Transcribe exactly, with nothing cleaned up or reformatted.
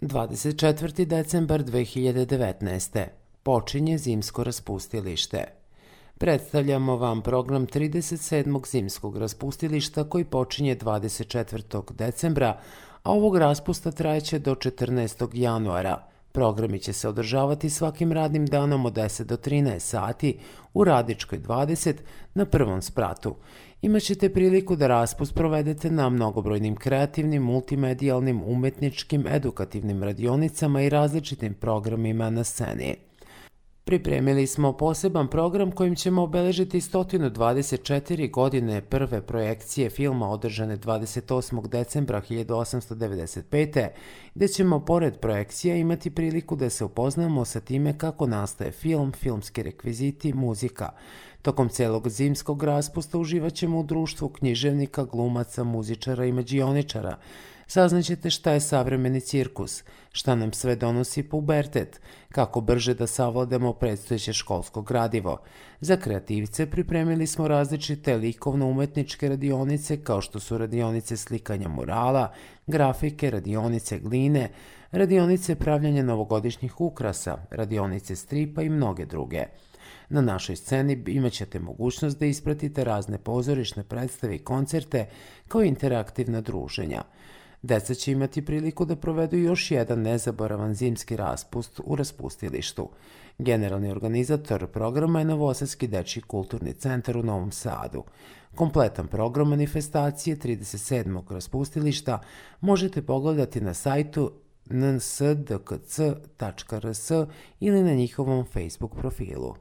dvadeset četvrti decembar dve hiljade devetnaeste. Počinje zimsko raspustilište. Predstavljamo vam program trideset sedmog zimskog raspustilišta koji počinje dvadeset četvrtog decembra, a ovog raspusta trajeće do četrnaestog januara. Programi će se održavati svakim radnim danom od deset do trinaest sati u Radičkoj dvadeset na prvom spratu. Imaćete priliku da raspust provedete na mnogobrojnim kreativnim, multimedijalnim, umetničkim, edukativnim radionicama i različitim programima na sceni. Pripremili smo poseban program kojim ćemo obeležiti sto dvadeset četiri godine prve projekcije filma održane dvadeset osmog decembra hiljadu osamsto devedeset pete. gde ćemo pored projekcija imati priliku da se upoznamo sa time kako nastaje film, filmski rekviziti, muzika. Tokom celog zimskog raspusta uživat ćemo u društvu književnika, glumaca, muzičara i mađioničara. Saznaćete šta je savremeni cirkus, šta nam sve donosi pubertet, kako brže da savladamo predstojeće školsko gradivo. Za kreativce pripremili smo različite likovno-umetničke radionice kao što su radionice slikanja murala, grafike, radionice gline, radionice pravljanja novogodišnjih ukrasa, radionice stripa i mnoge druge. Na našoj sceni imaćete mogućnost da ispratite razne pozorišne predstave i koncerte kao interaktivna druženja. Deca će imati priliku da provedu još jedan nezaboravan zimski raspust u raspustilištu. Generalni organizator programa je Novosadski dečiji kulturni centar u Novom Sadu. Kompletan program manifestacije trideset sedmog raspustilišta možete pogledati na sajtu n s d k c tačka r s ili na njihovom Facebook profilu.